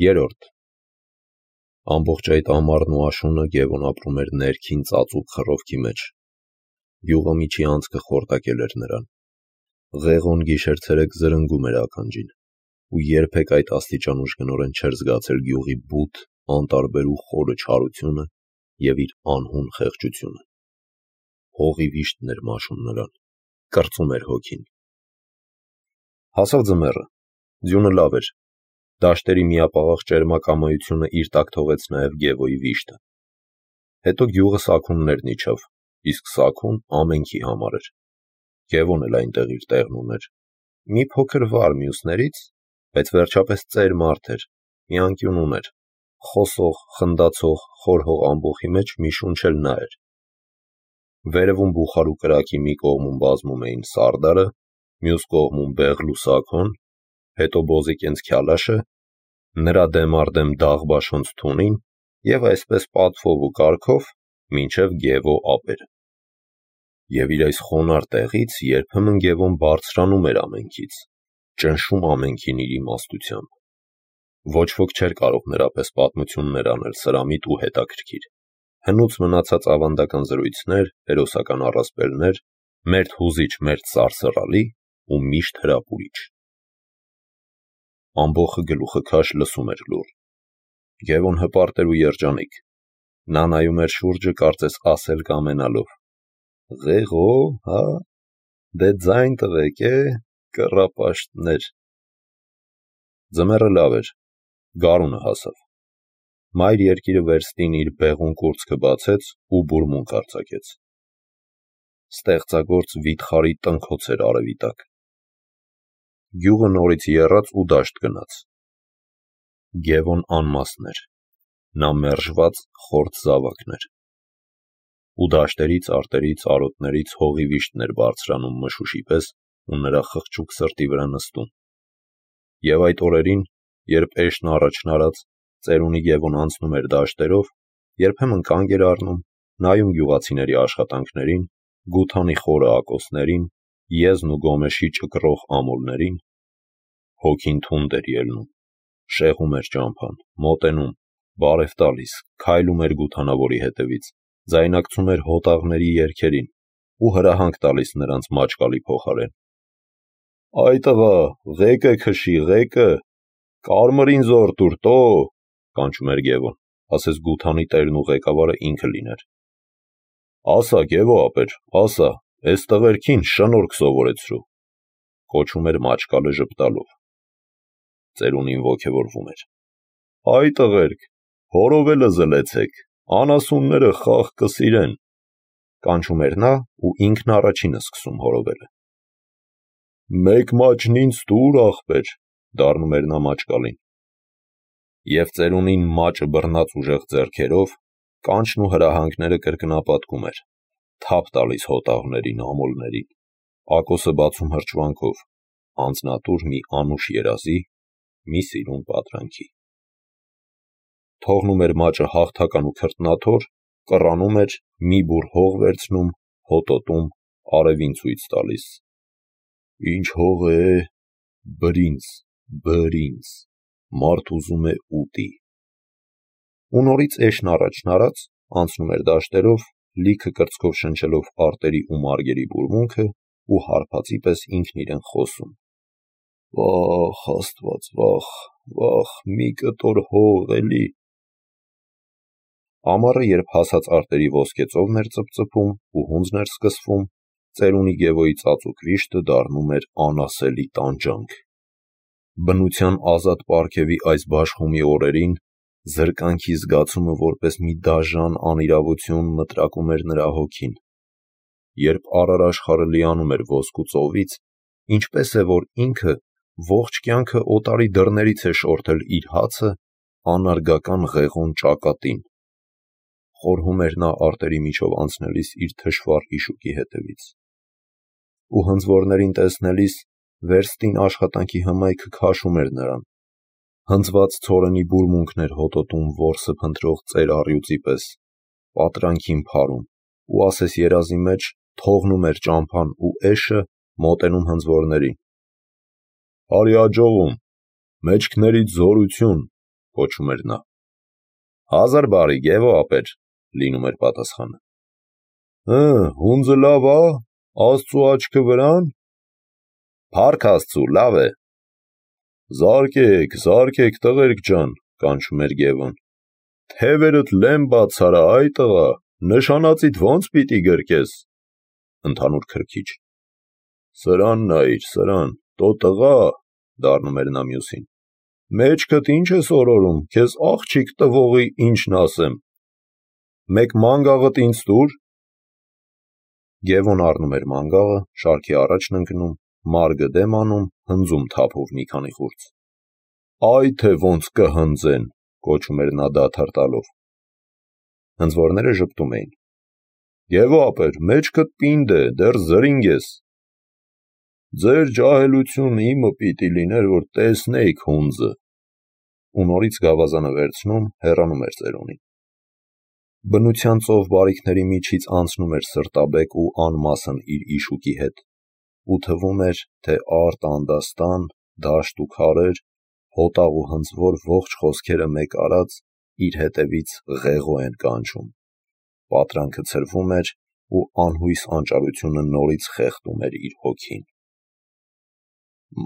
Երրորդ Ամբողջ այդ ամառն ու աշունը Գևոն ապրում էր ներքին ծածուկ խռովքի մեջ։ Գյուղը միջի անցքը խորտակել էր նրան։ Ղեղոն գիշեր-ցերեկ զրնգում էր ականջին, ու երբեք այդ աստիճան ուժգնորեն չէր զգացել գյուղի բութ, անտարբեր ու խորը չարությունը և իր անհուն խեղճությունը։ Հողի վիշտն էր մաշում նրան, կրծում էր հոգին։ Հասավ ձմեռը, ձյունը լավ էր, դաշտերի միապաղաղ ճերմակամայությունը իր տակ թողեց նաև Գևոյի վիշտը։ Հետո գյուղը սաքուններն իջավ, իսկ սաքուն ամենքի համար էր։ Գևոն էլ այնտեղ իր տեղն ուներ։ Մի փոքր վար մյուսներից, բայց վերջապես ծեր մարդ էր, մի անկյուն ուներ, խոսող, խնդացող, խոր հող ամբոխի մեջ մի շունչ էլ նա էր։ Վերևում բուխարու կրակի մի կողմում բազմում էին սարդարը, մյուս կողմում Բեղլու Սաքոն, հետո Բոզիկենց Քյալաշը, նրա դեմ առ դեմ Դաղբաշոնց Թունին և այսպես պատվով ու կարգով մինչև Գևո ափերը։ Եվ իր այս խոնարհ տեղից երբեմն Գևոն բարձրանում էր ամենքից, ճնշում ամենքին իր իմաստությամբ։ Ոչ ոք չէր կարող նրա պես պատմություններ անել սրամիտ ու հետաքրքիր։ Հնուց մնացած ավանդական զրույցներ, հերոսական առասպելներ, մերթ հուզիչ, մերթ սարսռալի ու միշտ հրապուրիչ։ Ամբոխը գլուխը քաշ լսում էր լուռ։ Գևոն հպարտ էր ու երջանիկ։ Նա նայում էր շուրջը, կարծես ասել կամենալով. «Ղեղո, հա, դե ձայն տվեք, կռապաշտներ»։ Ձմեռը լավ էր, գարունը հասավ։ Մայր երկիրը վերստին իր բեղուն կուրծքը բացեց ու բուրմունք արձակեց։ Ստեղծագործ վիթխարի տնքոց էր արևի տակ։ Գյուղը նորից եռաց ու դաշտ գնաց։ Գևոն անմասն էր, նա մերժված խորթ զավակն էր։ Ու դաշտերից, արտերից, արոտներից հողի վիշտն էր բարձրանում մշուշի պես ու նրա խղճուկ սրտի վրա նստում։ Եվ այդ օրերին, երբ էշն առաջն արած, ծերունի Գևոն անցնում էր դաշտերով, երբեմն կանգ էր առնում, նայում գյուղացիների աշխատանքներին, գութանի խորը ակոսներին, եզն ու գոմեշի ճկռող ամուլներին, հոգին թունդ էր ելնում, շեղում էր ճամփան, մոտենում, բարև տալիս, քայլում էր գութանավորի հետևից, ձայնակցում էր հոտաղների երգերին ու հրահանգ տալիս նրանց մաճկալի փոխարեն։ «Այ տղա, ղեկը քշի, ղեկը, կարմրին զոր տուր, տո», կանչում էր Գևոն, ասես գութանի տերն ու ղեկավարը ինքը լիներ։ «Ասա, Գևո ապեր, ասա, էս տղերքին շնորհք սովորեցրու», կոչում էր մաճկալը ժպտալով։ Ծերունին ոգևորվում էր։ «Հայ տղերք, հորովելը զլեցեք, անասունները խաղ կսիրեն», կանչում էր նա ու ինքն առաջինը սկսում հորովելը։ «Մեկ մաճն ինձ տուր, ախպեր», դառնում էր նա մաճկալին։ Եվ ծերունին մաճը բռնած ուժեղ ձեռքերով կանչն ու հրահանգները կրկնապատկում էր, թափ տալիս հոտաղներին, ամուլներին, ակոսը բացում հրճվանքով, անձնատուր մի անուշ երազի, մի սիրուն պատրանքի։ Թողնում էր մաճը հաղթական ու քրտնաթոր, կռանում էր, մի բուռ հող վերցնում, հոտոտում, արևին ցույց տալիս. «Ինչ հող է, բրինձ, բրինձ, մարդ ուզում է ուտի»։ Ու նորից էշն առաջն արած, անցնում էր դաշտերով, լիքը կրծքով շնչելով արտերի ու մարգերի բուրմունքը ու հարբածի պես ինքն իրեն խոսում. «Վախ, Աստված, վախ, վախ, մի կտոր հող էլի»։ Ամառը, երբ հասած արտերի ոսկեծովն էր ծպծպում ու հունձն էր սկսվում, ծերունի Գևոյի ծածուկ վիշտը դառնում էր անասելի տանջանք։ Բնության ազատ պարգևի այս բաշխումի օրերին զրկանքի զգացումը որպես մի դաժան անիրավություն մտրակում էր նրա հոգին։ Երբ առար աշխարհը լիանում էր ոսկու ծովից, ինչպես է, որ ինքը ողջ կյանքը օտարի դռներից է շորթել իր հացը անարգական ղեղոն ճակատին։ Խորհում էր նա արտերի միջով անցնելիս իր թշվառ իշուկի հետևից։ Ու հնձվորներին տեսնելիս վերստին աշխատանքի հմայքը քաշում էր նրան։ Հնձված ցորենի բուրմունքն էր հոտոտում որսը փնտրող ծեր առյուծի պես, պատրանքին փարում, ու ասես երազի մեջ թողնում էր ճամփան ու էշը, մոտենում հնձվորներին։ «Արի աջողում, մեջքներիդ զորություն, կոչում էր նա։ 1000 բարի, Գևո ապեր, լինում էր պատասխանը։ Հունձը լավ ա, Աստծու աչքը վրան։ Փառք Աստծու, լավ է։ Զարկեք, տղերք ջան, կանչում էր Գևոն։ Թևերդ լեմ բացարա, այ տղա, նշանածիդ ոնց պիտի գրկես։ Ընդհանուր քրքիջ։ Սրան նայիր, սրան, տո տղա, դառնում էր նա մյուսին։ Մեջքդ ինչ ես օրորում, քեզ աղջիկ տվողի ինչն ասեմ։ Մեկ մանգաղդ ինձ տուր։ Գևոն առնում էր մանգաղը, շարքի առաջն ընկնում, մարգը դեմ անում, հնձում թափով մի քանի խուրձ։ Այ թե ոնց կհնձեն, կոչում էր նա դադար տալով։ Հնձվորները ժպտում էին։ Գևո ապեր, մեջքդ պինդ է, դեռ զրինգ ես։ Ձեր ջահելություն իմը պիտի լիներ, որ տեսնեիք հունձը։ Ու նորից գավազանը վերցնում, հեռանում էր ծերունին։ Բնության ծով բարիքների միջից անցնում էր սրտաբեկ ու անմասն իր իշուկի հետ, ու թվում էր, թե արտ անդաստան, դաշտ ու քարեր, հոտաղ ու հնձվոր ողջ խոսքերը մեկ արած իր հետևից ղեղո են կանչում։ Պատրանքը ցրվում էր ու անհույս անճարությունը նորից խեղդում էր իր հոգին։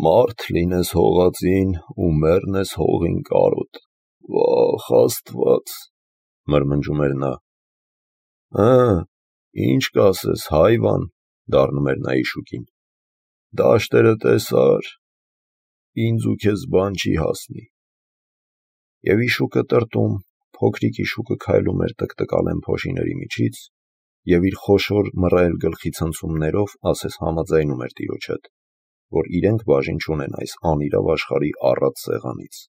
Մարդ լինես հողածին ու մեռնես հողին կարոտ, վախ Աստված, մրմնջում էր նա։ Ինչ կասես, հայվան, դառնում էր նա իշուկին։ Դաշտերը տեսար, ինձ ու քեզ բան չի հասնի։ Եվ իշուկը տրտում, փոքրիկ իշուկը քայլում էր տկտկալեն փոշիների միջից, և իր խոշոր մռայլ գլխի ցնցումներով ասես համաձայնում էր տիրոջ հետ, որ իրենք բաժին չունեն այս անիրավ աշխարհի առատ սեղանից։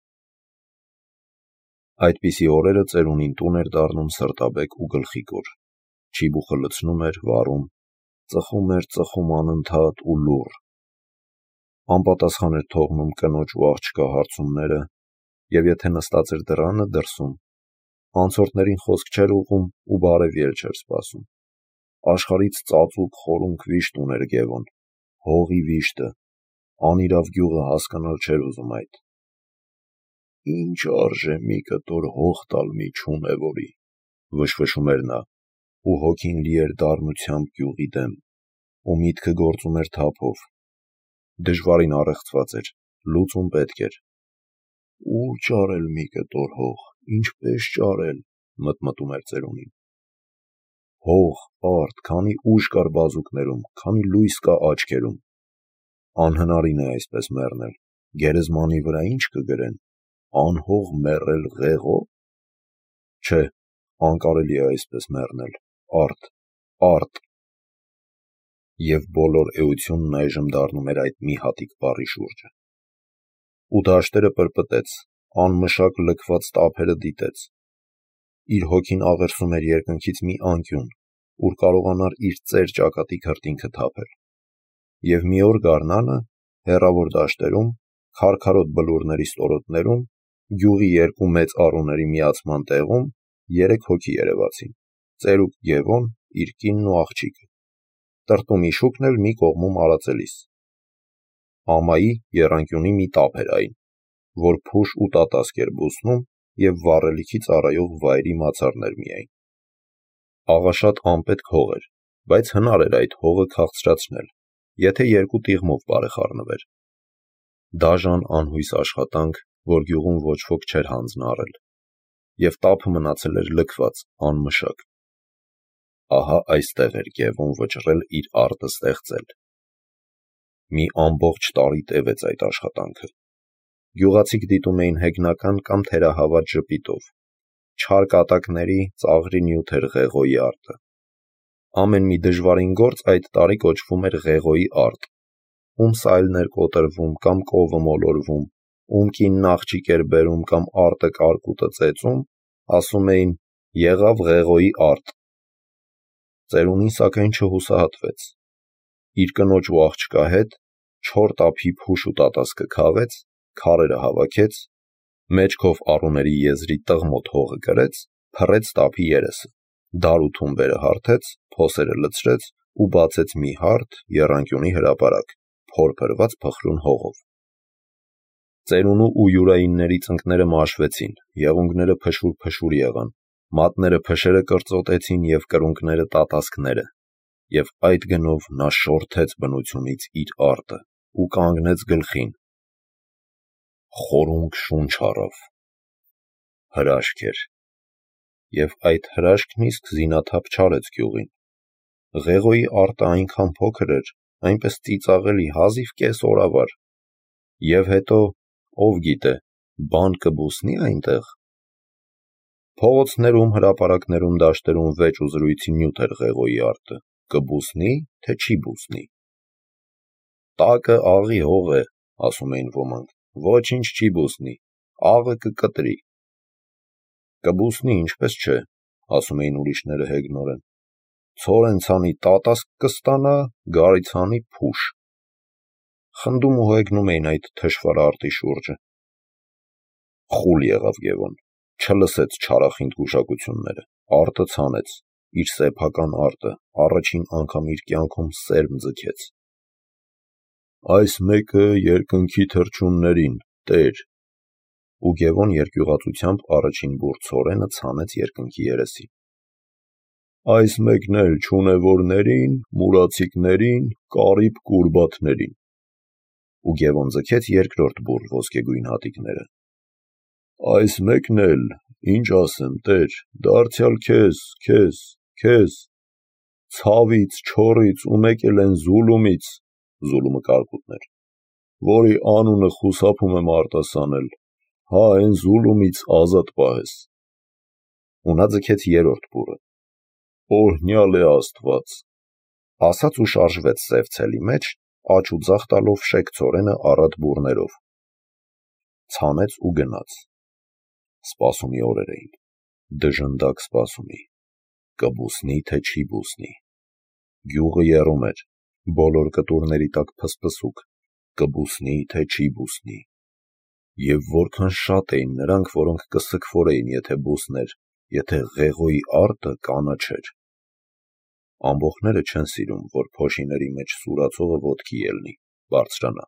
Այդպիսի օրերը ծերունին տուն էր դառնում սրտաբեկ ու գլխիկոր, չիբուխը լցնում էր, վառում, ծխում անընդհատ ու լուռ։ Անպատասխան էր թողնում կնոջ ու աղջկա հարցումները, և եթե նստած էր դռանը դրսում, անցորդներին խոսք չէր ուղղում ու բարև ելք չէր սպասում։ Աշխարհից ծածուկ խորունկ վիշտ ուներ Գևոն, հողի վիշտը, անիրավ գյուղը հասկանալ չէր ուզում այդ։ Ինչ արժե մի կտոր հող տալ մի չունևորի, վշվշում էր նա, ու հոգին լի էր դառնությամբ գյուղի դեմ, ու միտքը գործում էր թափով։ Դժվարին առեղծված էր, լուծում պետք էր։ Ուր ճարել մի կտոր հող, ինչպես ճարել, մտմտում էր ծերունին։ Հող, արդ, քանի ուժ կար բազուկներում, քանի լույս կա աչքերում։ Անհնարին է այսպես մեռնել, գերեզմանի վրա ինչ կգրեն, անհող մեռել ղեղո՞։ Չէ, անկարելի է այսպես մեռնել, արդ։ Եվ բոլոր էությունն այժմ դառնում էր այդ մի հատիկ բառի շուրջը։ Ու դաշտերը պրպտեց, անմշակ լքված տափերը դիտեց։ Իր հոգին աղերսում էր երկնքից մի անկյուն, ուր կարողանար իր ծեր ճակատի քրտինքը թափել։ Եվ մի օր գարնանը, հեռավոր դաշտերում, քարքարոտ բլուրների ստորոտներում, գյուղի երկու մեծ առուների միացման տեղում 3 հոգի երևացին. ծերուկ Գևոն, իր կինն ու աղջիկը։ Տրտում իշուկն էլ մի կողմում արածելիս։ Ամայի եռանկյունի մի տափ էր այն, որ փուշ ու տատասկ էր բուսնում և վառելիքի ծառայող վայրի մացառներ միայն։ Աղաշատ անպետք հող էր, բայց հնար էր այդ հողը քաղցրացնել, եթե 2 տիղմով բարեխառնվեր։ Դաժան անհույս աշխատանք, որ գյուղում ոչ ոք չէր հանձնարարել, և տափը մնացել էր լքված, անմշակ։ Ահա այստեղ էր Գևոն վճռել իր արտը ստեղծել։ Մի ամբողջ տարի տևեց այդ աշխատանքը։ Գյուղացիք դիտում էին հեգնական կամ թերահավատ ժպիտով։ Չար կատակների, ծաղրի նյութ էր ղեղոյի արտը։ Ամեն մի դժվարին գործ այդ տարի կոչվում էր ղեղոյի արտ։ Ում սայլն էր կոտրվում կամ կովը մոլորվում, ում կինն աղջիկ էր բերում կամ արտը կարկուտը ծեծում, ասում էին եղավ ղեղոյի արտ։ Ծերունին սակայն չհուսահատվեց։ Իր կնոջ ու աղջկա հետ 4 տափի փուշ ու տատասկը քաղեց, քարերը հավաքեց, մեջքով առուների եզրի տղմոտ հողը կրեց, փռեց տափի երեսը, դար ու թումբերը հարթեց, փոսերը լցրեց ու բացեց մի հարթ եռանկյունի հրապարակ, փորփրված փխրուն հողով։ Ծերունու ու յուրայինների ծնկները մաշվեցին, եղունգները փշուր-փշուր եղան, մատները փշերը կրծոտեցին և կրունկները տատասկները, և այդ գնով նա շորթեց բնությունից իր արտը ու կանգնեց գլխին, խորունգ շունչ առավ, հրաշք էր, և այդ հրաշքն իսկ զինաթափ չարեց գյուղին, Ղեղոյի արտը այնքան փոքր էր, այնպես ծիծաղելի հազիվ կես օրավար, և հետո, ով գիտե, բան կբուսնի այնտեղ: Փողոցներում, հրապարակներում, դաշտերում վեճ ու զրույցի նյութ էր Ղեղոյի արտը, կբուսնի, թե չի բուսնի: Տակը աղի հող է, ասում էին ոմանք, ոչինչ չի բուսնի, աղը կկտրի: Կբուսնի, ինչպես չէ, ասում էին ուրիշները հեգնորեն, ցորեն ցանի տատասկ կստանա, գարի ցանի փուշ: Խնդում ու հեգնում էին այդ թշվառ արտի շուրջը: Խուլ եղավ Գևոն, չլսեց չարախինդ գուշակությունները, արտը ցանեց, իր սեփական արտը, առաջին անգամ իր կյանքում սերմ ձգեց: Այս մեկը երկնքի թռչուններին, Տեր: Ու Գևոն երկյուղածությամբ առաջին բուռ ցորենը ցանեց երկնքի երեսին: Այս մեկն էլ չունևորներին, մուրացիկներին, կարիպ կուրբաթներին: Ու Գևոն ձգեց երկրորդ բուռ ոսկեգույն հատիկները: Այս մեկն էլ, ինչ ասեմ, Տեր, դարձյալ քեզ, ցավից, չոռից ու մեկ էլ են Զուլումից, Զուլումը կարկուտն էր, որի անունը խուսափում եմ արտասանել, հա են Զուլումից ազատ պահես: Ու նա ձգեց երրորդ բուռը: Օրհնյալ է Աստված: Ասաց ու շարժվեց սև ցելի մեջ, աջ ու ձախ տալով շեք ցորենը առատ բուռներով: Ցանեց ու գնաց: Սպասումի օրեր էին, դժնդակ սպասումի, կբուսնի, թե չի բուսնի: Գյուղը եռում էր, բոլոր կտուրների տակ փսփսուկ, կբուսնի, թե չի բուսնի: Եվ որքան շատ էին նրանք, որոնք կսքվորեին, եթե բուսներ, եթե Ղեղոյի արտը կանաչեր: Ամբոխները չեն սիրում, որ փոշիների մեջ սուրացողը ոտքի ելնի, բարձրանա: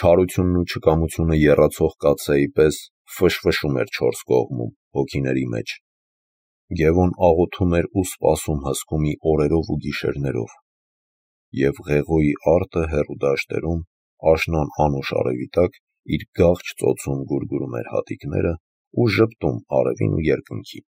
Չարությունն ու չկամությունը եռացող կաթսայի պես ֆշֆշում էր չորս կողմում, հոգիների մեջ: Գևոն աղոթում էր ու սպասում հսկումի օրերով ու գիշերներով: Եվ Ղեղոյի արտը հեռու դաշտերում, աշնան անուշ արևի տակ, իր գաղջ ծոցում գուրգուրում էր հատիկները ու ժպտում արևին ու երկնքին: